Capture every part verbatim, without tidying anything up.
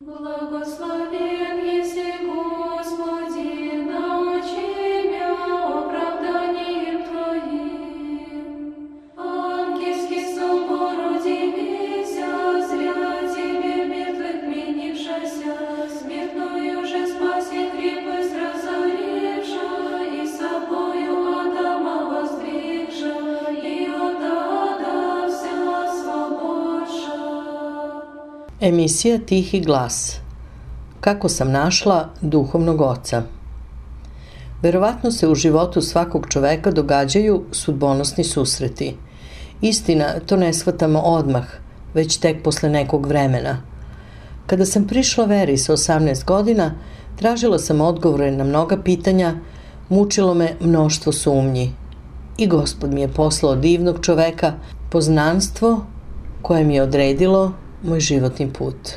Благословен еси, Господи, научи мя оправданием Твоим. Ангельский собор удивися, зря Тебе мертвых менившася, смертную же спаси крепость разоривша, и собою Адама воздвигша, и от ада вся свободша. Emisija Tihi glas. Kako sam našla duhovnog oca? Verovatno se u životu svakog čoveka događaju sudbonosni susreti. Istina, to ne shvatamo odmah, već tek posle nekog vremena. Kada sam prišla veri sa osamnaest godina, tražila sam odgovore na mnoga pitanja, mučilo me mnoštvo sumnji. I Gospod mi je poslao divnog čoveka, poznanstvo koje mi je odredilo moj životni put.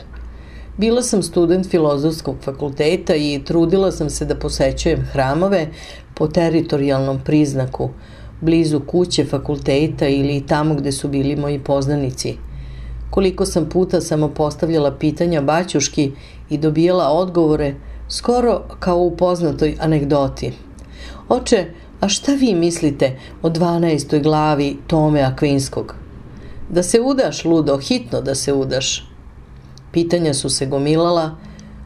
Bila sam student Filozofskog fakulteta i trudila sam se da posećujem hramove po teritorijalnom priznaku, blizu kuće fakulteta ili tamo gde su bili moji poznanici. Koliko sam puta samo postavljala pitanja baćuški i dobijala odgovore, skoro kao u poznatoj anegdoti. Oče, a šta vi mislite o dvanaestoj glavi Tome Akvinskog? Da se udaš, ludo, hitno da se udaš. Pitanja su se gomilala,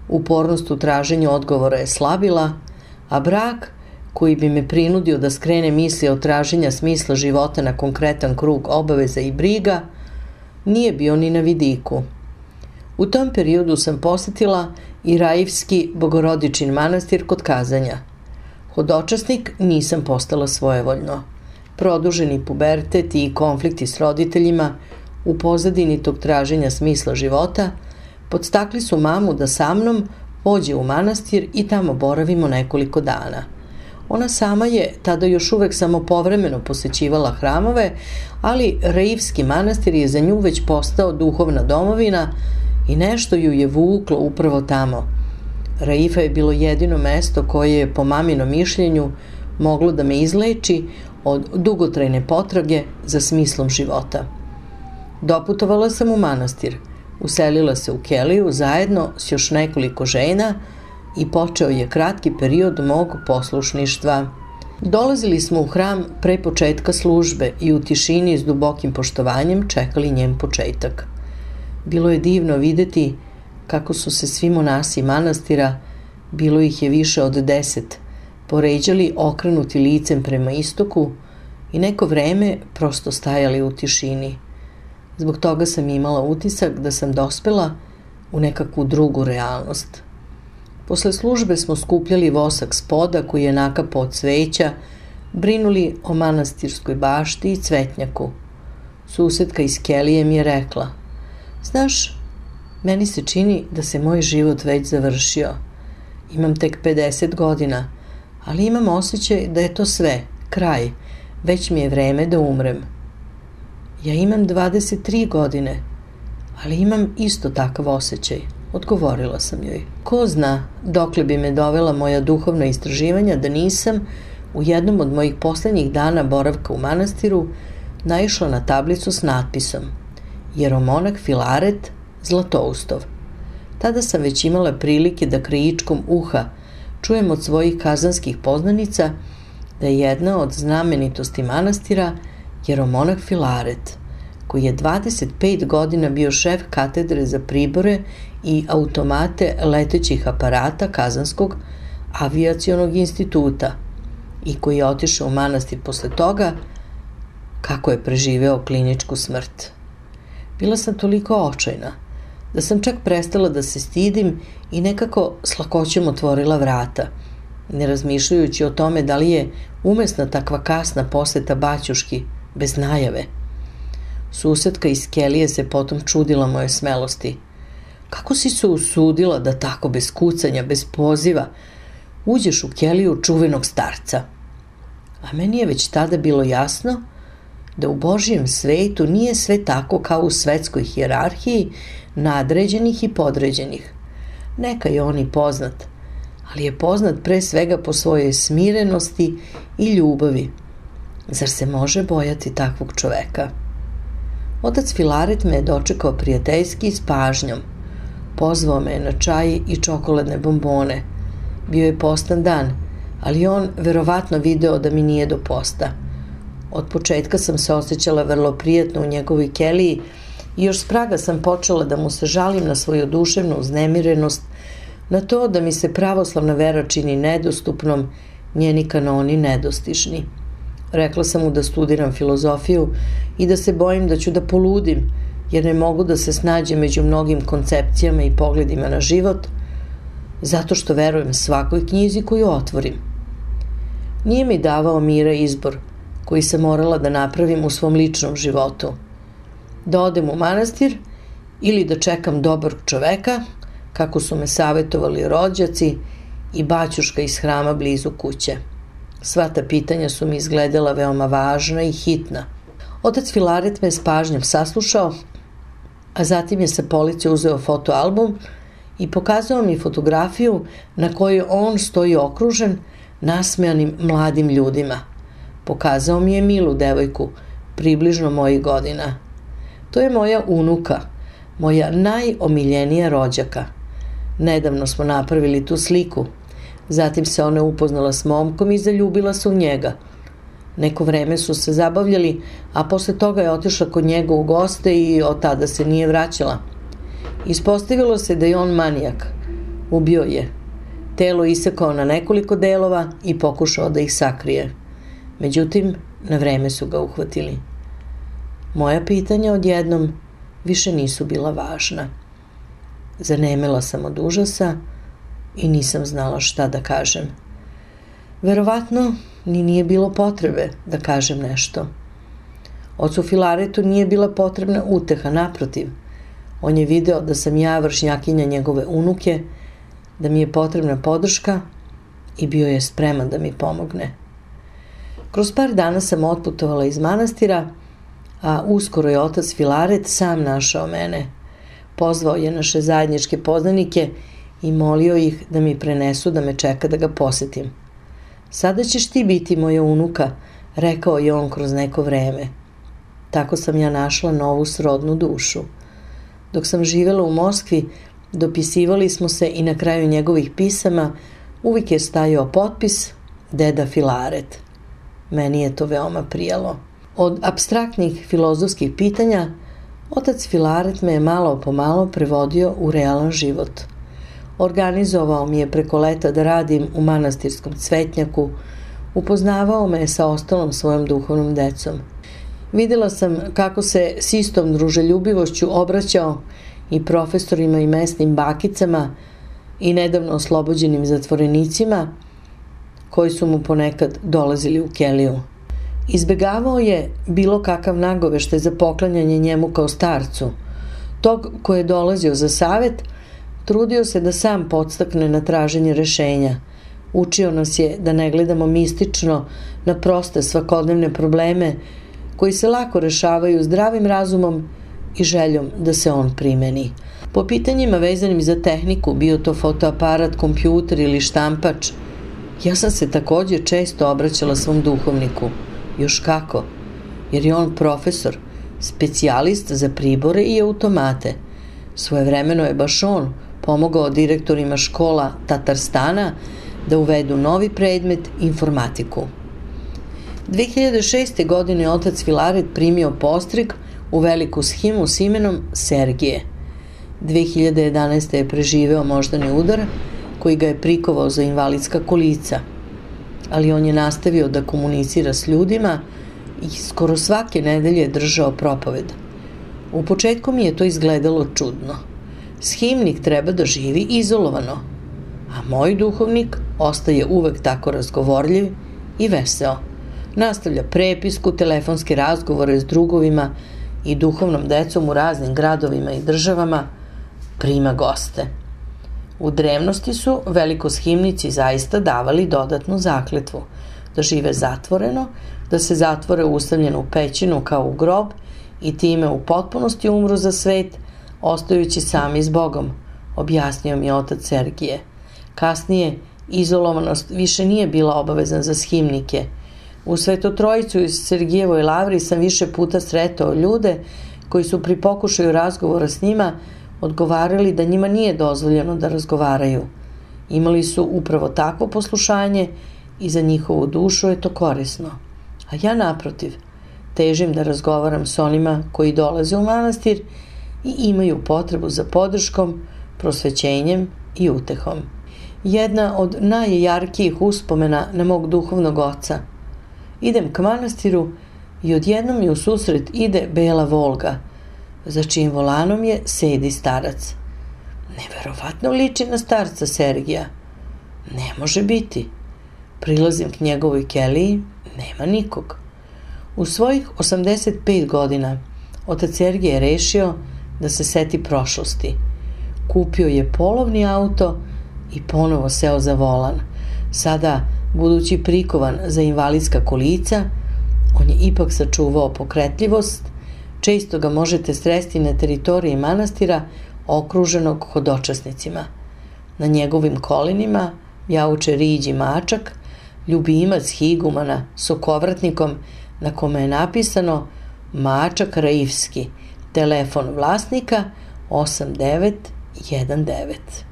upornost u traženju odgovora je slabila, a brak, koji bi me prinudio da skrene misli od traženja smisla života na konkretan krug obaveza i briga, nije bio ni na vidiku. U tom periodu sam posetila i Raivski Bogorodičin manastir kod Kazanja. Hodočasnik nisam postala svojevoljno. Produženi pubertet i konflikti s roditeljima u pozadini tog traženja smisla života podstakli su mamu da sa mnom pođe u manastir i tamo boravimo nekoliko dana. Ona sama je tada još uvek samo povremeno posećivala hramove, ali Raivski manastir je za nju već postao duhovna domovina i nešto ju je vuklo upravo tamo. Raifa je bilo jedino mesto koje je, po maminom mišljenju, moglo da me izleči od dugotrajne potrage za smislom života. Doputovala sam u manastir, uselila se u keliju zajedno s još nekoliko žena i počeo je kratki period mog poslušništva. Dolazili smo u hram pre početka službe i u tišini s dubokim poštovanjem čekali njen početak. Bilo je divno videti kako su se svi monasi manastira, bilo ih je više od deset, poređali okrenuti licem prema istoku i neko vreme prosto stajali u tišini. Zbog toga sam imala utisak da sam dospela u nekakvu drugu realnost. Posle službe smo skupljali vosak spoda koji je nakapao od cveća, brinuli o manastirskoj bašti i cvetnjaku. Susedka iz kelije mi je rekla: znaš, meni se čini da se moj život već završio. Imam tek pedeset godina, ali imam osjećaj da je to sve, kraj, već mi je vreme da umrem. Ja imam dvadeset tri godine, ali imam isto takav osjećaj, odgovorila sam joj. Ko zna dokle bi me dovela moja duhovna istraživanja da nisam u jednom od mojih poslednjih dana boravka u manastiru naišla na tablicu s natpisom Jeromonah Filaret Zlatoustov. Tada sam već imala prilike da krajičkom uha čujem od svojih kazanskih poznanica da je jedna od znamenitosti manastira Jeromonah Filaret, koji je dvadeset pet godina bio šef katedre za pribore i automate letećih aparata Kazanskog avijacionog instituta i koji je otišao u manastir posle toga kako je preživeo kliničku smrt. Bila sam toliko očajna da sam čak prestala da se stidim i nekako s lakoćom otvorila vrata, ne razmišljajući o tome da li je umesna takva kasna poseta baćuški bez najave. Susedka iz kelije se potom čudila moje smelosti. Kako si se usudila da tako bez kucanja, bez poziva, uđeš u keliju čuvenog starca? A meni je već tada bilo jasno da u Božjem svetu nije sve tako kao u svetskoj hijerarhiji nadređenih i podređenih. Neka je on i poznat, ali je poznat pre svega po svojoj smirenosti i ljubavi. Zar se može bojati takvog čoveka? Otac Filaret me je dočekao prijateljski i s pažnjom. Pozvao me na čaj i čokoladne bombone. Bio je postan dan, ali on verovatno video da mi nije do posta. Od početka sam se osjećala vrlo prijatno u njegovoj keliji i još s praga sam počela da mu se žalim na svoju duševnu uznemirenost, na to da mi se pravoslavna vera čini nedostupnom, njeni kanoni nedostižni. Rekla sam mu da studiram filozofiju i da se bojim da ću da poludim, jer ne mogu da se snađem među mnogim koncepcijama i pogledima na život, zato što verujem svakoj knjizi koju otvorim. Nije mi davao mira izbor koji sam morala da napravim u svom ličnom životu. Da odem u manastir ili da čekam dobrog čoveka, kako su me savjetovali rođaci i baćuška iz hrama blizu kuće. Sva ta pitanja su mi izgledala veoma važna i hitna. Otac Filaret me s pažnjom saslušao, a zatim je sa police uzeo fotoalbum i pokazao mi fotografiju na kojoj on stoji okružen nasmejanim mladim ljudima. Pokazao mi je milu devojku, približno mojih godina. To je moja unuka, moja najomiljenija rođaka. Nedavno smo napravili tu sliku. Zatim se ona upoznala s momkom i zaljubila se u njega. Neko vreme su se zabavljali, a posle toga je otišla kod njega u goste i od tada se nije vraćala. Ispostavilo se da je on manijak. Ubio je. Telo isekao na nekoliko delova i pokušao da ih sakrije. Međutim, na vreme su ga uhvatili. Moja pitanja odjednom više nisu bila važna. Zanemela sam od užasa i nisam znala šta da kažem. Verovatno ni nije bilo potrebe da kažem nešto. Ocu Filaretu nije bila potrebna uteha, naprotiv. On je video da sam ja vršnjakinja njegove unuke, da mi je potrebna podrška i bio je spreman da mi pomogne. Kroz par dana sam otputovala iz manastira, a uskoro je otac Filaret sam našao mene. Pozvao je naše zajedničke poznanike i molio ih da mi prenesu da me čeka da ga posetim. Sada ćeš ti biti moja unuka, rekao je on kroz neko vreme. Tako sam ja našla novu srodnu dušu. Dok sam živela u Moskvi, dopisivali smo se i na kraju njegovih pisama uvijek je stajao potpis Deda Filaret. Meni je to veoma prijalo. Od apstraktnih filozofskih pitanja otac Filaret me je malo po malo prevodio u realan život. Organizovao mi je preko leta da radim u manastirskom cvetnjaku, upoznavao me sa ostalom svojom duhovnom decom. Videla sam kako se s istom druželjubivošću obraćao i profesorima i mesnim bakicama i nedavno oslobođenim zatvorenicima koji su mu ponekad dolazili u keliju. Izbegavao je bilo kakav nagoveštaj za poklanjanje njemu kao starcu. Tog ko je dolazio za savet, trudio se da sam podstakne na traženje rešenja. Učio nas je da ne gledamo mistično na proste svakodnevne probleme koji se lako rešavaju zdravim razumom i željom da se on primeni. Po pitanjima vezanim za tehniku, bio to fotoaparat, kompjuter ili štampač, ja sam se također često obraćala svom duhovniku. Još kako, jer je on profesor, specijalist za pribore i automate. Svojevremeno je baš on pomogao direktorima škola Tatarstana da uvedu novi predmet informatiku. dve hiljade šeste. godine otac Filaret primio postrig u veliku shimu s imenom Sergije. dve hiljade jedanaeste. je preživeo moždani udar koji ga je prikovao za invalidska kolica, ali on je nastavio da komunicira s ljudima i skoro svake nedelje je držao propoved. U početku mi je to izgledalo čudno. Shimnik treba da živi izolovano, a moj duhovnik ostaje uvek tako razgovorljiv i veseo. Nastavlja prepisku, telefonske razgovore s drugovima i duhovnom decom u raznim gradovima i državama, prima goste. U drevnosti su velikoshimnici zaista davali dodatnu zakletvu, da žive zatvoreno, da se zatvore ustavljeno u pećinu kao u grob i time u potpunosti umru za svet, ostajući sami s Bogom, objasnio mi je otac Sergije. Kasnije, izolovanost više nije bila obavezna za shimnike. U Svetotrojicu iz Sergijevoj lavri sam više puta sretao ljude koji su pri pokušaju razgovora s njima odgovarali da njima nije dozvoljeno da razgovaraju. Imali su upravo takvo poslušanje i za njihovu dušu je to korisno. A ja naprotiv, težim da razgovaram s onima koji dolaze u manastir i imaju potrebu za podrškom, prosvećenjem i utehom. Jedna od najjarkijih uspomena na mog duhovnog oca. Idem k manastiru i odjednom mi u susret ide bela Volga, za čijim volanom je sedi starac. Neverovatno liči na starca Sergija. Ne može biti. Prilazim k njegovoj keliji, nema nikog. U svojih osamdeset pet godina otac Sergij je rešio da se seti prošlosti. Kupio je polovni auto i ponovo seo za volan. Sada, budući prikovan za invalidska kolica, on je ipak sačuvao pokretljivost, često ga možete sresti na teritoriji manastira okruženog hodočasnicima. Na njegovim kolenima jauče riđi mačak, ljubimac higumana s okovratnikom na kome je napisano Mačak Raifski, telefon vlasnika osam devet jedan devet.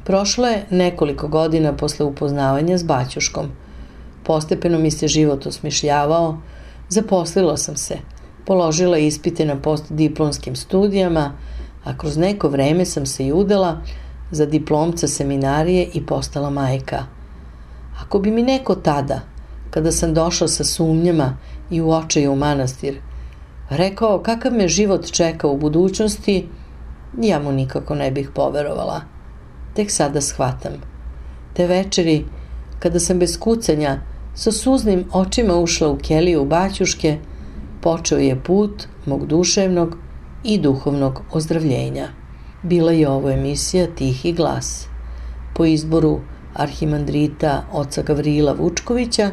Prošlo je nekoliko godina posle upoznavanja s baćuškom. Postepeno mi se život osmišljavao, zaposlila sam se, položila ispite na postdiplomskim studijama, a kroz neko vreme sam se i udala za diplomca seminarije i postala majka. Ako bi mi neko tada, kada sam došla sa sumnjama i u očaju u manastir, rekao kakav me život čeka u budućnosti, ja mu nikako ne bih poverovala. Tek sada shvatam. Te večeri, kada sam bez kucanja sa suznim očima ušla u keliju baćuške, počeo je put mog duševnog i duhovnog ozdravljenja. Bila je ovo emisija Tihi glas. Po izboru arhimandrita oca Gavrila Vučkovića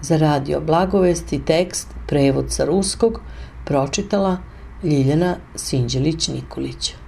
za radio Blagovesti tekst, prevod sa ruskog, pročitala Ljiljana Sinđelić-Nikolić.